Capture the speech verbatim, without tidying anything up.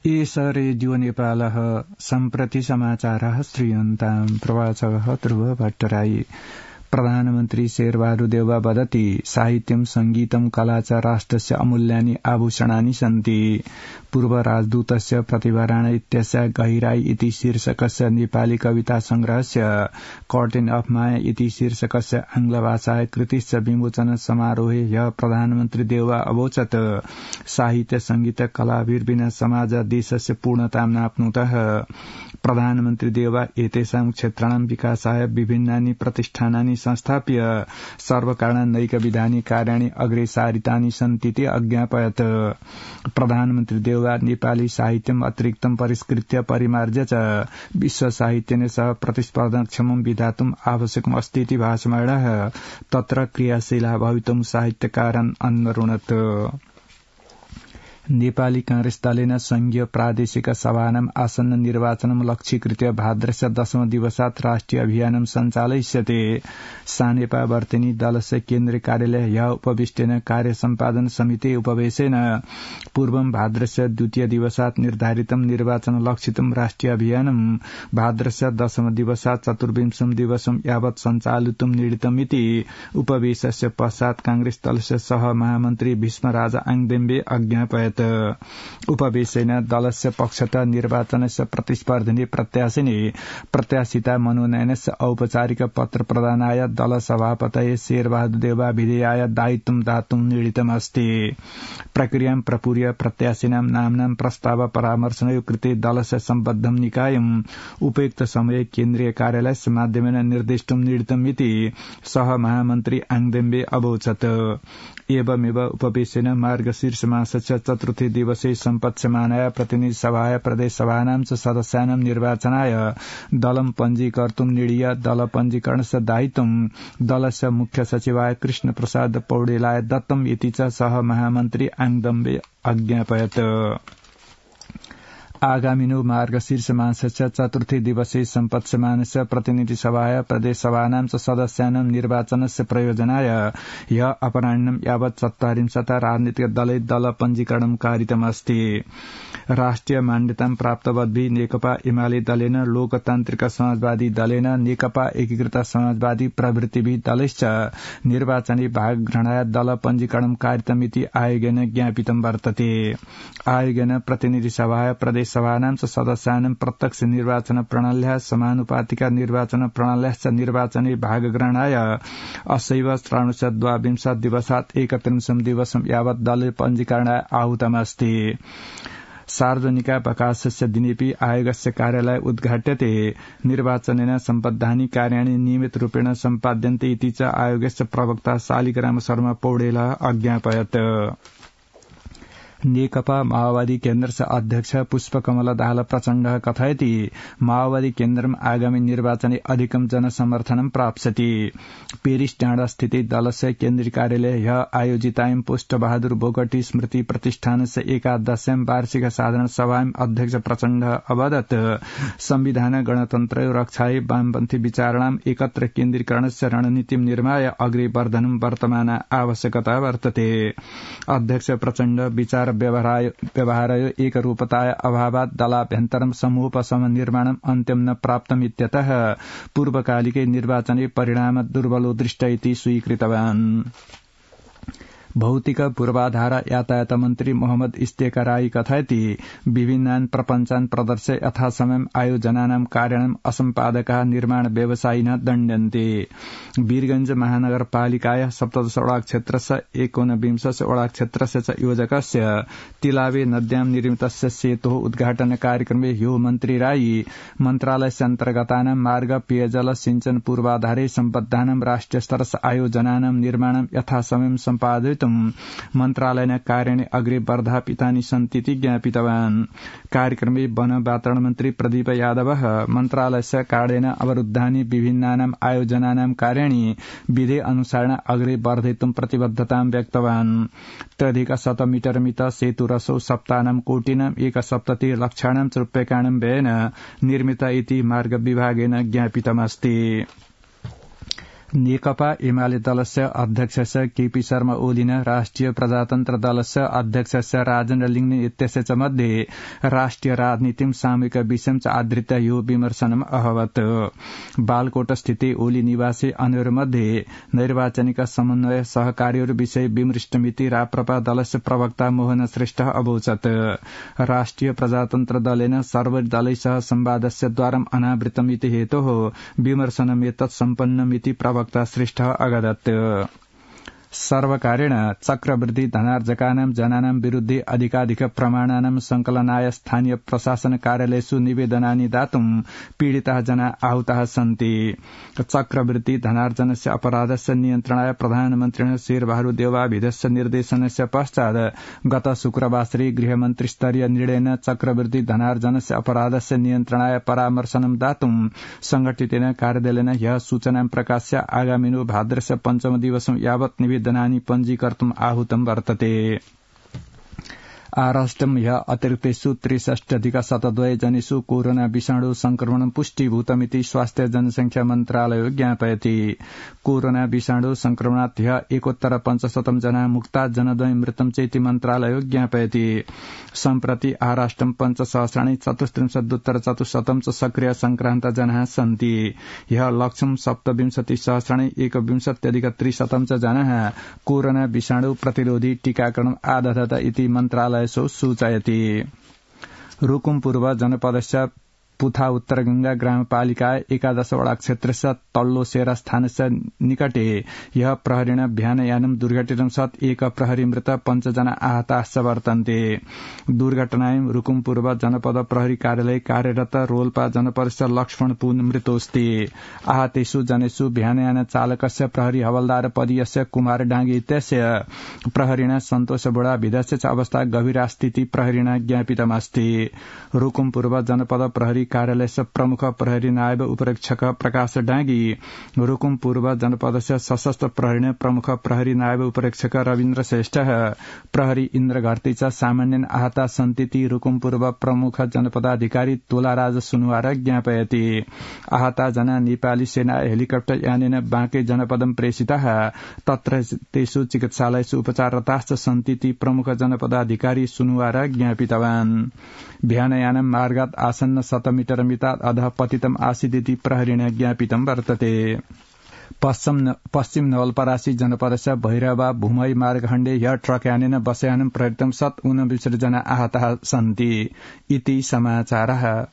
एष रेडियो नेपालः सम्प्रति समाचारः श्रूयन्ताम् प्रवाचकः ध्रुव भट्टराई। प्रधानमन्त्री शेरबहादुर देउवा वदति साहित्यं संगीतं कला च राष्ट्रस्य अमूल्यानि आभूषणानि सन्ति। पूर्व राजदूतस्य प्रतिभा राणा इत्यस्य गहिराई इति शीर्षकस्य नेपाली कविता संग्रहस्य कर्टेन अफ माया इति शीर्षकस्य आंग्लभाषाय कृतिस्य विमोचन समारोहे ह्य प्रधानमन्त्री देउवा अवोचत् साहित्य संगीत कलाभिर विना समाज देशस्य पूर्णतां नाप्नुतः। प्रधानमन्त्री देउवा एतेषां क्षेत्राणां विकासाय विभिन्नानि प्रतिष्ठानानि संस्थाप्य सर्वकारणैकविधानि कार्याणि अग्रे सारितानि सन्तीति अज्ञापयत्। प्रधानमन्त्री देउवा नेपाली साहित्यम् अतिरिक्तं परिष्कृत्य परिमार्ज्य च विश्व साहित्येन सह प्रतिस्पर्धाक्षमं विधातुम् आवश्यकम् अस्तीति भाषमाणः तत्र क्रियाशीला भवितुम् साहित्यकारन् अन्वरुणत्। नेपाली कांग्रेस दलेन संघीय प्रादेशिक सभानाम् आसन्न निर्वाचनं लक्ष्यीकृत्य भाद्रस्य दशम दिवसात् राष्ट्रिय अभियानं सञ्चालयिष्यते। सानेपा वर्तेनी दलस्य केन्द्रीय कार्यालय ह्य उपविष्टेन कार्य सम्पादन समिति उपवेशेन पूर्वं भाद्रस्य द्वितीय दिवसात् निर्धारितं निर्वाचन लक्षितं राष्ट्रिय अभियानं भाद्रस्य दशम दिवसात् चतुर्विंशं दिवसं यावत् सञ्चालितुं निर्णीतमिति उपवेशस्य पश्चात् कांग्रेस दलस्य सह महामन्त्री भीष्मराज आङदेम्बे अज्ञापयत्। उपवेशेन दलस्य पक्षतः निर्वाचनस्य प्रतिस्पर्धिनी प्रत्याशिनी प्रत्याशिता मनोनयनस्य औपचारिक पत्र प्रदानाय दल सभापतये शेरबहादुर देउवा विधेयाय दायित्वं दातुं निर्णीतमस्ति। प्रक्रियां प्रपूर्य प्रत्याशिनां नाम्नां प्रस्ताव परामर्शनयो कृते दलस्य सम्बद्धं निकायम् उपयुक्त समये केन्द्रीय कार्यालयस्य माध्यमेन निर्दिष्टुं निर्णीतमिति सह महामन्त्री आङदेम्बे अवोचत्। एवमेव उपवेशेन मार्गशीर्ष मासस्य चतुर्थे दिवसे सम्पत्स्यमानाय प्रतिनिधि सभाय प्रदेश सभानां च सदस्यानां निर्वाचनाय दलं पञ्जीकर्तुं निर्णीय दल पञ्जीकरणस्य दायित्वं दलस्य मुख्य सचिवाय कृष्ण प्रसाद पौडेलाय दत्तम् इति च सह महामन्त्री आङदेम्बे अज्ञापयत्। आगामिनो मार्गशीर्ष मासस्य चतुर्थे दिवसे सम्पत्स्यमानस्य प्रतिनिधि सभाय प्रदेश सभानां च सदस्यानां निर्वाचनस्य प्रयोजनाय ह्य अपराह्नं यावत् चत्वारिंशत् राजनीतिक दलै दल पञ्जीकरणं कारितमस्ति। राष्ट्रिय मान्यतां प्राप्तवद्भिः नेकपा एमाले दलेन लोकतान्त्रिक समाजवादी दलेन नेकपा एकीकृत समाजवादी प्रभृतिभिः दलैश्च निर्वाचने भाग ग्रहणाय दल पञ्जीकरणं कारितमिति आयोगेन ज्ञापितं वर्तते। आयोगेन प्रतिनिधि सभाय प्रदेश सभानां च सदस्यानां प्रत्यक्ष निर्वाचन प्रणाल्याः समानुपातिक निर्वाचन प्रणाल्याश्च निर्वाचने भागग्रहणाय असैव श्रावणस्य द्वाविंशत् दिवसात् एकत्रिंशं दिवसं यावत् दल पञ्जीकरणाय आहूतमस्ति। सार्वजनिकावकाशस्य दिनेऽपि आयोगस्य कार्यालय उद्घाट्यते। निर्वाचनेन सम्बद्धानि कार्याणि नियमितरूपेण सम्पाद्यन्ते इति च आयोगस्य प्रवक्ता शालिग्राम शर्मा पौडेलः अज्ञापयत्। नेकपा माओवादी केन्द्रस्य अध्यक्ष पुष्पकमल दाहाल प्रचण्डः कथयति माओवादी केन्द्रम् आगामी निर्वाचने अधिकं जनसमर्थनं प्राप्स्यति। पेरिस डाँडा स्थित दलस्य केन्द्रीय कार्यालये ह्य आयोजितायां पुष्पबहादुर बोगटी स्मृति प्रतिष्ठानस्य एकादश्यां वार्षिक साधारण सभायां अध्यक्ष प्रचण्डः अवदत् संविधान गणतन्त्र रक्षायै वामपन्थी विचाराणाम् एकत्र केन्द्रीकरणस्य रणनीतिं निर्माय अग्रे वर्धनं वर्तमान आवश्यकता वर्तते। अध्यक्ष प्रचण्ड विचार व्यवहारयो एकरूपताय अभावात् दलाभ्यन्तरं समूहोपशम निर्माणम् अन्त्यं न प्राप्तमित्यतः पूर्वकालिके निर्वाचने परिणाम दुर्बलो दृष्ट इति स्वीकृतवान्। भौतिक पूर्वाधार यातायात मन्त्री मोहम्मद इस्तेकराई कथयति विभिन्नान् प्रपञ्चान् प्रदर्श्य यथासमयम् आयोजनानां कार्याणाम् असम्पादकाः निर्माण व्यवसायिनः दण्ड्यन्ते। वीरगंज महानगरपालिकायाः सप्तदश वडा क्षेत्रस्य एकोनविंशस्य वडा क्षेत्रस्य च योजकस्य तिलावे नद्यां निर्मितस्य सेतोः उद्घाटन कार्यक्रमे ह्यो मन्त्री राई मन्त्रालयस्य अन्तर्गतानां मार्ग पेयजल सिंचन पूर्वाधारे सम्बद्धानां राष्ट्रिय स्तरस्य आयोजनानां निर्माणं यथासमयं सम्पादयितुं मन्त्रालयेन कार्याणि अग्रे वर्धापितानि सन्तीति ज्ञापितवान्। कार्यक्रमे वन वातावरण मन्त्री प्रदीप यादवः मन्त्रालयस्य कार्येन अवरुद्धानि विभिन्नानाम् आयोजनानां कार्याणि विधे अनुसारेण अग्रे वर्धयितुं प्रतिबद्धतां व्यक्तवान्। त्र्यधिक शत मीटर मित सेतुरसौ सप्तानां कोटिनाम् एकसप्तति लक्षाणां च रूप्यकाणां व्ययेन निर्मित इति मार्ग विभागेन ज्ञापितमस्ति। नेकपा एमाले दलस्य अध्यक्षस्य केपी शर्मा ओलिन राष्ट्रिय प्रजातन्त्र दलस्य अध्यक्षस्य राजेन्द्र लिङ्गने इत्यस्य मध्ये राष्ट्रिय राजनीतिं सामूहिक विषयं च आदृत्य यो विमर्शनम् अभवत्। बालकोट स्थिते ओली निवासी अन्यमध्ये नैर्वाचनिक समन्वय सहकार्यहरू विषय विमृष्टमिति राप्रपा दलस्य प्रवक्ता मोहन श्रेष्ठ अवोचत्। राष्ट्रिय प्रजातन्त्र दलेन सर्वदलैः संवादस्य द्वारम् अनावृतमिति हेतोः विमर्शनमेतत् सम्पन्नमिति प्रवक्ता वक्ता श्रेष्ठ अगदत्। सर्वकारेण चक्रवृद्धि धनार्जकानां जनानां विरुद्धे अधिकाधिक प्रमाणानां संकलनाय स्थानीय प्रशासन कार्यालयेषु निवेदनानि दातुं पीडिताः जना आहुताः सन्ति। चक्रवृद्धि धनार्जनस्य अपराधस्य नियन्त्रणाय प्रधानमन्त्रिणा शेरबहादुर देउवाभिधस्य निर्देशनस्य पश्चात् गत शुक्रवासरे गृहमन्त्रीस्तरीय निर्णयेन चक्रवृद्धि धनार्जनस्य अपराधस्य नियन्त्रणाय परामर्शनं दातुं संघटितेन कार्यदलेन ह्यः सूचनां प्रकाश्य आगामिनो भाद्रस्य पञ्चम दिवसं यावत् निवेदनानि पञ्जीकर्तुम् आहुतं वर्तते। आराष्ट्रम् ह्य अतिरिक्तेषु त्रिषष्ट्यधिक शतद्वय जनेषु कोरोना विषाणु संक्रमणं पुष्टीभूतमिति स्वास्थ्य जनसंख्या मन्त्रालयो ज्ञापयति। कोरोना विषाणु संक्रमणात् ह्य एकोत्तर पञ्चशतं जना मुक्ता जनद्वय मृतं चेति मन्त्रालयो ज्ञापयति। सम्प्रति आराष्ट्रं पञ्चसहस्राणि चतुस्त्रिंशदुत्तर चतुश्शतं च सक्रिय संक्रान्त जनाः सन्ति। ह्य लक्षं सप्तविंशति सहस्राणि एकविंशत्यधिक त्रिशतं च जनाः कोरोना विषाणु प्रतिरोधी टीकाकरणम् आदधत इति मन्त्रालय सूचयति। रुकुम पूर्व जनपदस्य पुथा उत्तर गंगा ग्रामपालिका एकादशवटा क्षेत्रस्य तल्लो सेरा स्थानस्य निकटे यह प्रहरीण भ्यानयानं दुर्घटितं सत् एक प्रहरी मृत पञ्चजना आहताश्च वर्तन्ते। दुर्घटनायां रुकुम पूर्व जनपद प्रहरी कार्यालय कार्यरत रोल्पा जनपदस्य लक्ष्मण पुन मृतोऽस्ति। आहतेषु जनेषु भ्यानयान चालकस्य प्रहरी हवलदार पदीयस्य कुमार डाङ्गे इत्यस्य प्रहरीण सन्तोष बोडा विधस्य च अवस्था गभीरा स्थिति प्रहरीण ज्ञापितमस्ति। रुकुम पूर्व जनपद प्रहरी कार्यालयस्य प्रमुख प्रहरी नायब उपरीक्षक प्रकाश डाँगी, रुकुम पूर्व जनपदस्य सशस्त्र प्रहरी प्रमुख प्रहरी नायब उपरीक्षक रविन्द्र श्रेष्ठ, प्रहरी इन्द्र घरती च सामान्यन आहता सन्तीति रुकुम पूर्व प्रमुख जनपदाधिकारी तोलाराज सुनुवार ज्ञापयति। आहता जना नेपाली सेना हेलिकप्टर यानेन बाँके जनपदं प्रेषिताः, तत्र तेषु चिकित्सालयेषु उपचाररताश्च सन्तीति प्रमुख जनपदाधिकारी सुनुवार ज्ञापितवान्। भ्यानयानं मार्गात् आसन्न शतमिटर मितात् अधः पतितम् आसीदिति प्रहरीण ज्ञापितं वर्तते। पश्चिम नवलपरासी जनपदस्य भैरवा भूमई मार्गखण्डे ह्य ट्रक यानेन बसयानं प्रहृतं सत् ऊनविंशति जना आहताः सन्ति। इति समाचारः।